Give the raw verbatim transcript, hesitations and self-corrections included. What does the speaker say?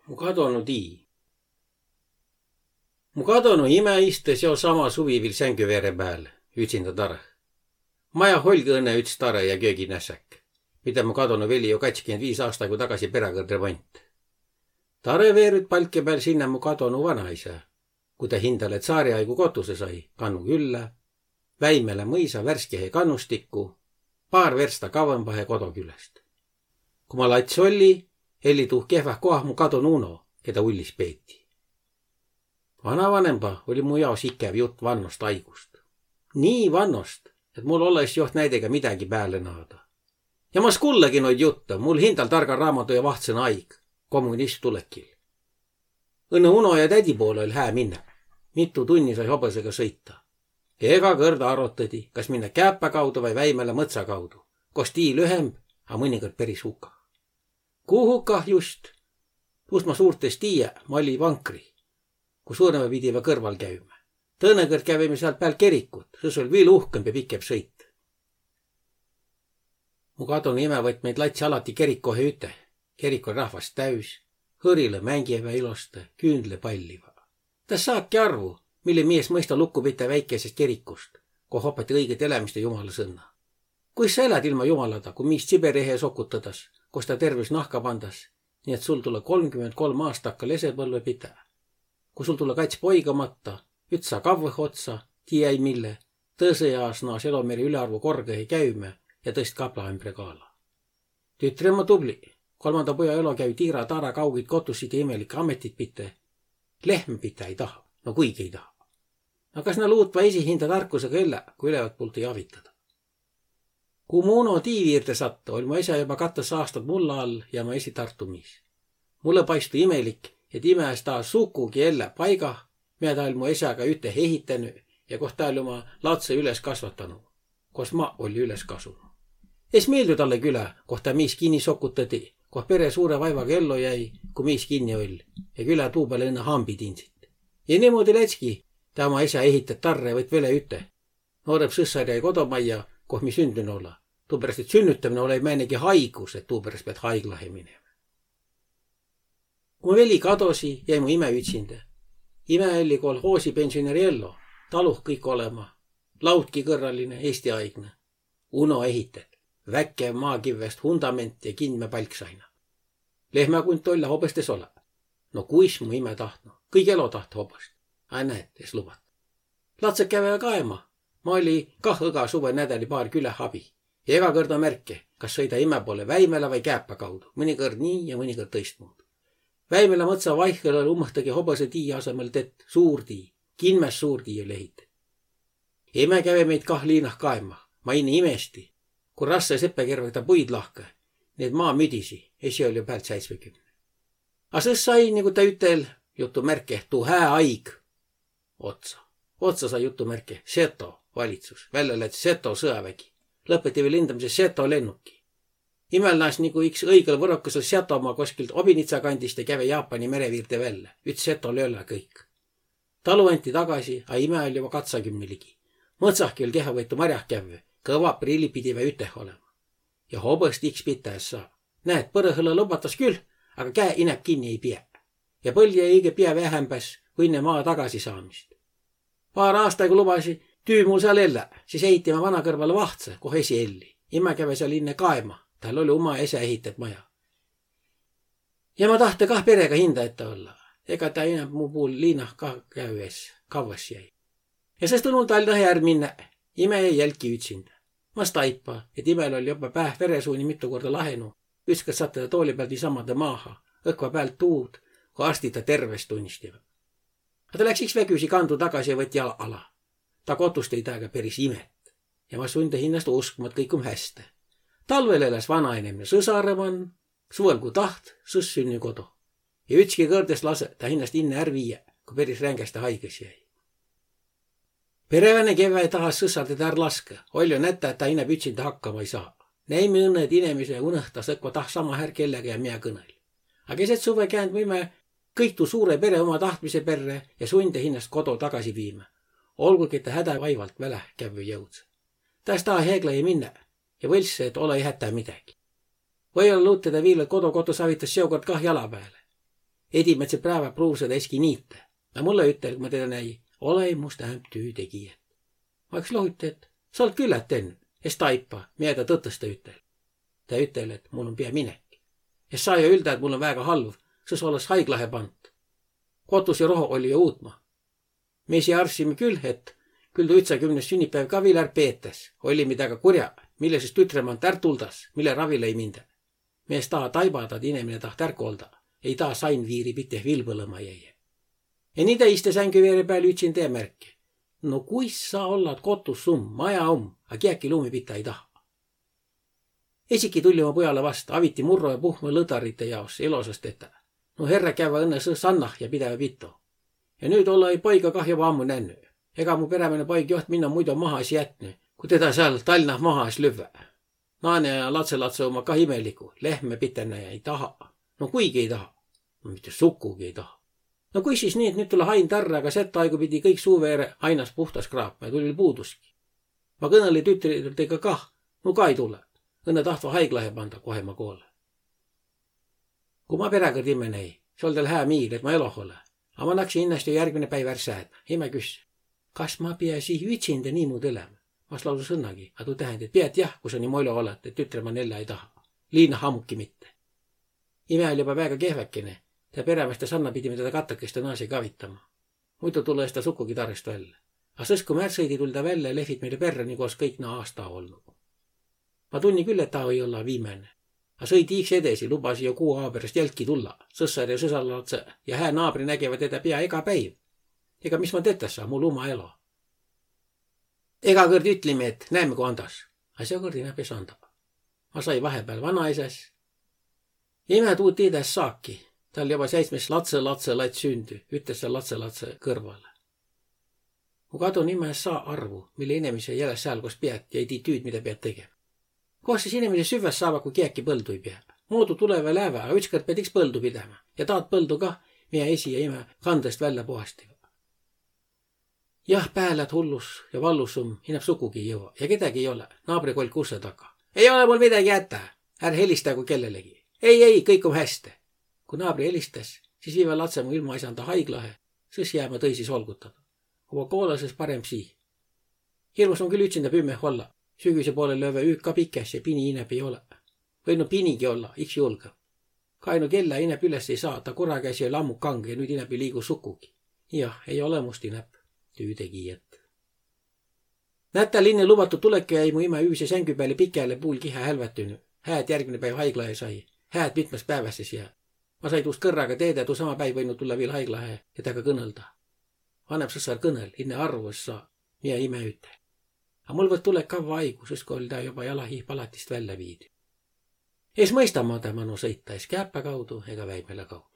Mu kadonu tii. Mu kadonu imä istõ seo sama suvi viil sängüveere pääl, ütsindä tarõ. Majah oll'gi õnnõ üts tarõ ja kööginässäk, midä mu kadonu veli jo kaidskümmend viis aastagu tagasi peräkõrd remont. Tarõ veerüt palkja pääl sinnä mu kadonu vanaisä, ku tä hindäle tsaariaigu kotusõ sai, kannu küllä, Väimelä mõisa värskehe kannustikku, paar versta kavvõmbahe kodo küläst. Ku ma lats olli, elli tuh kehväh koah mu kadonu uno, kedä ullis peeti. Vanavanemba olli mu jaos ikäv jutt vannost aigust. Nii vannost, et mul olõ-s joht näidega midägi pääle naada. Ja ma es kullõgi noid juttõ, mul hindäl targa raamadu ja vahtsõna aig, kommunism tulekil. Õnnõ uno ja tädi poolõ oll' hää minnä. Mitu tunni sai hobõsõga sõita. Ega kõrd arotõdi, kas minnä Kääpä kaudu vai Väimelä mõtsa kaudu, kos tii lühemb, a mõnikõrd peris hukah. Ku hukah just? Tuust ma suurt es tiiä, ma olli vankri, ku surmõ pidivä kõrval käümä. Tõõnõ kõrd kävimi säält päält kerikut, sõs oll' viil uhkõmb ja pikemb sõit. Mu kadonu imä võtt meid latsi alati kerikohe üte. Kerik oll' rahvast täüs, hõrilõ mängivä ilosta, küündle palliva. Tä saaki arvu, mille mies mõista lukku pitä väikesest kerikust, koh opati õigõt elämist ja jumala sõnna. Kuis sa elät ilma jumalada, ku miis Tsiberi ehe sokutõdas, kos ta tervüs nahka pandas, nii et sul tulõ kolmkümmend kolm aastakka lesepõlve pitä? Ku sul tulõ kats poiga matta, üts saa kavvõh otsa, tii ei mille, tõsõ jaos naas elomeri ülearvu korgõhe käümä ja tõst kaplaembre kaala. Tütre om tubli. Kolmanda puja elo käü tiira-taara kaugit kotusid ja imelikke ametit pite. Lehmä pite ei taha. No kuigi ei taha. No kas na luutva esi hinda tarkusega ellä, ku ülevat pult ei avitada? Ku mu uno tii viirde sattõ, oll' mu esä joba kattas aastat mulla all ja ma esi Tartu miis. Mullõ paistu imelik, et imä es taa sukugi ellä paigah, mea taa oll' mu esäga üte ehitänü ja koht taa oll' uma latsõ üles kasvatanu, kos ma olli üles kasunu. Es miildü talle külä, koht taa miis kinni sokutati, koht pere suure vaivaga ello jäi, ku miis kinni oll', ja külä tuu pääle õnnõ hambit indsit. Ja niimoodi lätski, taa uma esä ehitet tarre ja võtt vele üte. Noorep sõssar jäi kodomajja, koh mi sündünü olõ. Tuuperäst, et sünnütämine olõ-i määnegi haigus, et tuuperäst piät haiglahe minemä. Ku mu veli kadosi, jäi mu imä ütsindä. Imä elli kolhoosi pensioneri ello, taluh kõik olema. Lautki kõrraline, eestiaignõ. Uno ehitet. Väkev maakivvest hundament ja kindmä palksaina. Lehmäkunt oll', a hobõst es olõ. No kuis mu imä tahtnu? Kõige elo tahtõ hobõst. Ai näet, es lubat. Latsõ käve kaema. Ma olli kah õga suvõ nädäli paar küläh abi. Ja ega kõrd märke, kas sõida imä poole Väimelä vai Kääpä kaudu. Mõnikõrd nii ja mõnikõrd tõistmuudu. Väimelä mõtsa vaihhõl oll' umõhtagi hobõsõ tii asõmõl tett suur tii. Kinmäs suur tii oll' ehitet. Imä käve meid kah liinah kaema. Ma inne imesti, ku rassõ seppäkervega taa puid lahkõ, nii et maa müdisi, esi oll' jo päält säitsmekümne. A sõs sai, nigu taa ütel, jutumärke, tuu hää aig otsa. Otsa sai jutumärke seto valitsus, vällä läts seto sõjavägi. Lõpeti viil lindamiise seto lennuki. Imäl naas nigu iks õigõl võrokõsõl Setomaa koskilt Obinitsa kandist ja käve Jaapani mere viirde vällä. Üts seto löölä kõik. Talu anti tagasi, a imä oll' joba katsakümne ligi. Mõtsahki oll' kehvavõitu marjah kävvü, kõva prilli pidivä üteh olema. Ja hobõst iks pitä es saa. Näet, põrõhõlõ lobatas küll, aga käe inäb kinni ei piä. Ja põldi jäi õige piä vähämbäs, ku inne maa tagasisaamist. Paar aasta, ku lubasi, tüü mul sääl ellä, sis ehiti ma vana kõrvale vahtsõ, koh esi elli. Imä käve sääl inne kaema, tal oll' uma esä ehitet maja. Ja ma tahtõ kah perega hinda ette olla. Ega taa inäb mu puul liinah kah käü es, kavvas jäi. Ja sõs tulnu Tal'nahe är minnä, imä jäi jälki ütsindä. Ma staipa, et imäl oll' joba pääh veresuuni mitu korda lahenu, ütskõrd sattõ ta tooli päält niisamadõ maaha, õkva päält tuud, ku arstid ta terves tunnistiva. A ta läks iks vägüsi kandu tagasi ja võti ala, ala. Ta kotust ei tääga peris imet. Ja ma sundõ hinnast uskma, et kõik om häste. Talvel eläs vanainemine sõsarõ man, suvõl ku taht, sõs sünnü kodo. Ja ütski kõrd es lasõ ta hinnast inne är viiä, ku peris rängäste haigõs jäi. Pereväne kevväi tahas sõsar tedä är laskõ, oll' jo nätä, et ta inäb ütsindä hakkama ei saa. Näimi õnnõ, et inemise unõhtas õkva taht sama här kellega ja mea kõnõl. A keset suvve käänd mu imä kõik tuu suure pere uma tahtmise perrä ja sundõ hinnast kodo tagasi viimä. Olgugi, et ta hädä vaivalt väläh kävvü jõudsõ. Taa es taha Heegla ei minnä ja võlssõ, et olõ-i hätä midägi. Või-olla luut tedä viil, et kodo kotus avitas seokõrd kah jala pääle. Edimädse präävä pruuvsõ ta eski niite. A mullõ ütel, ku ma tedä näi: Olõ-i must ämp tüütegijät. Ma iks lohuti, et sa olt küllät tennü, es taipa, miä ta tõtõstõ ütel. Tä ütel, et mul om pia minek. Es saa jo üldä, et mul om väega halv, sõs olõs haiglahe pant. Kotus ja roho olli jo uutma. Mi esi arvssimi kül, et kül tuu ütsakümnes sünnipäiv ka viil är peetäs. Ollimi taaga kurja, mille sis tütre mant är tuldas, mille ravi lei mindä. Mi es taha taibada, et inemine taht är kolda. Ei taa sain viiri pite vilbõlõma jäi. Ja nii tä iste sängü veere pääl ütsindä ja märke: No kuis sa ollat, kotus um, maja um, a kiäki luumi pite ei taha. Esiki tulli mu pujalõ vasta, aviti murro ja puhmõ lõdarite jaos elosas tetä. No herrä kävvä õnnõ sõ sannah ja pidävä pito. Ja nüüt olõ-i poiga kah joba ammu nännü. Ega mu perämäne poig joht minno muido maha es jätnü, ku tedä sääl Tal'nah maha es lüvvä. Naane ja latsõlatsõ umma kah imeligu, lehmä pitennä ja ei taha. No kuigi ei taha. No mitte sukugi ei taha. No kuis sis nii, et nüüt tulõ hain tarrõ, aga sett aigu pidi kõik suu veere ainas puhtas kraapma ja tulli puuduski. Ma kõnõlli tütridega kah, no ka ei tulõ. Õnnõ tahtva haiglahe panda, kohe ma koolõ. Ku ma peräkõrd imme näi, sis oll' täl hää miil, et ma eloh olõ. A ma naksi innast jo järgmine päiv är säädmä. Imä küsse: Kas ma pia sii ütsindä niimuudu elämä? Ma es lausu sõnnagi, a tuu tähendä, et piät jah, ku sa nii mu elo olõt, et tütre man ellä ei taha. Liinah ammuki mitte. Imä oll' joba väega kehväkene. Tä perämäs tä sanna pidi, mida tä kattokeste naasi kavitama. Muido tulõ es tä sukugi tarõst vällä. A sõs, ku mi är sõidi, tull' tä vällä ja lehvit meile perrä, nigu es kõik naa aasta olnu. Ma tunni küll, et taa ei olla viimäne. A sõidi iks edesi, lubasi jo kuu ao peräst jälki tulla. Sõssar ja sõsarlatsõ ja hää naabri nägevä tedä pia ega päiv. Ega mis ma tetä saa, mul uma elo. Ega kõrd ütlimi, et näemme, ku andas. A seokõrd inäp es anda. Ma sai vahepeal vanaesäs. Ja imä tuu tiidä es saaki. Tal joba säitsmes latsõlatsõlats sündü, ütes sääl latsõlatsõ kõrvalõ. Mu kadonu imä es saa arvu, mille inemise ei elä sääl, kos piät, ja ei tii tüüd, mida piät tegema. Kos sis inemise süvväs saava, ku kiäki põldu ei pea? Moodu tulevä, läävä, a ütskõrd piät iks põldu pidämä. Ja taad põldu kah, mia esi ja imä kandõst vällä puhastiva. Jah, päält hullus ja vallusum inäp sukugi ei jõua. Ja kedägi ei olõ. Naabri kolk ussõ taga: Ei olõ mul midägi jätä. Är helistägu kellelegi. Ei, ei, kõik om häste. Ku naabri helistäs, sis viivä latsõ mu ilmaisanda haiglahe, sõs jäämä tõisis olgutada. Oma koolõ sõs paremb sii. Hirmus om küll ütsindä pümmeh olla. Sügüse poole löövä üük ka pikäs ja pini inäp ei olõ. Või no pinigi olla, iks julgõ. Kainu kellä inäp üles ei saa, ta kurakäsi oll' ammu kangõ ja nüüt inäp ei liigu sukugi. Jah, ei olõ must inäp tüütegijät. Nätäl inne luvatut tulekut jäi mu imä üüse sängü pääle pikäle puul kihä hälvätünü. Hää, et järgmine päiv haiglahe sai. Hää, et mitmõs pääväs es jää. Ma sai tuust kõrraga teedä, tuu sama päiv võinu tulla viil haiglahe ja taaga kõnõlda. Vanem sõssar kõnõl, inne arvu es saa, mia imä ütel. A mul võt tulek kavva aigu, sõs ku oll' taa joba jalah ii palatist vällä viidü. Es mõista ma tä manu sõita es Kääpä kaudu ega Väibela kaudu.